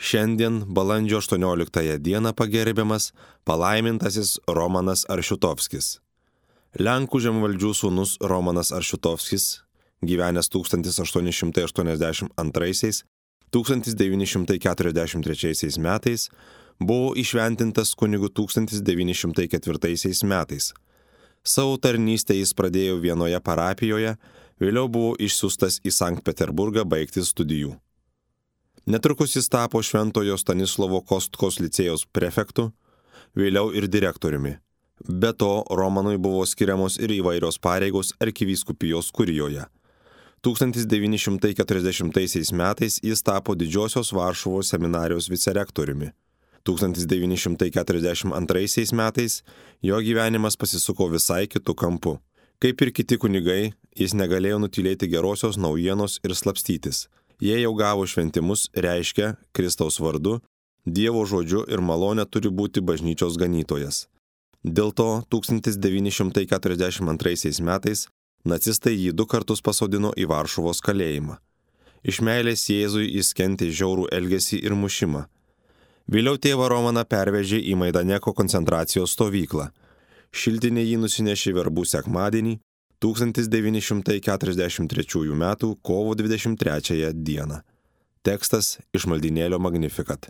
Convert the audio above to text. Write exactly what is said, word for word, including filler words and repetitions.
Šiandien balandžio aštuonioliktąją dieną pagerbiamas palaimintasis Romanas Aršiutovskis. Lenkų žemvaldžių sūnus Romanas Aršiutovskis, gyvenęs tūkstantis aštuoni šimtai aštuoniasdešimt antraisiais - tūkstantis devyni šimtai keturiasdešimt trečiaisiais metais, buvo įšventintas kunigu tūkstantis devyni šimtai ketvirtaisiais metais. Savo tarnystę jis pradėjo vienoje parapijoje, vėliau buvo išsiųstas į Sankt Peterburgą baigti studijų. Netrukus jis tapo Šventojo Stanislovo Kostkos licėjaus prefektu, vėliau ir direktoriumi. Be to, Romanui buvo skiriamos ir įvairios pareigos arkivyskupijos kurijoje. tūkstantis devyni šimtai keturiasdešimtaisiais metais jis tapo Didžiosios Varšuvos seminarijos vicerektoriumi. tūkstantis devyni šimtai keturiasdešimt antraisiais metais jo gyvenimas pasisuko visai kitu kampu. Kaip ir kiti kunigai, jis negalėjo nutylėti gerosios naujienos ir slapstytis. Jie jau gavo šventimus, reiškia Kristaus vardu, Dievo žodžiu ir malonė turi būti bažnyčios ganytojas. Dėl to tūkstantis devyni šimtai keturiasdešimt antraisiais metais nacistai jį du kartus pasodino į Varšuvos kalėjimą. Iš meilės Jėzui jis kentė žiaurų elgesį ir mušimą. Vėliau tėvą Romaną pervežė į Maidaneko koncentracijos stovyklą. Šiltinė jį nusinešė verbų sekmadienį tūkstantis devyni šimtai keturiasdešimt trečiųjų metų kovo dvidešimt trečiąją dieną. Tekstas iš maldynėlio Magnificat.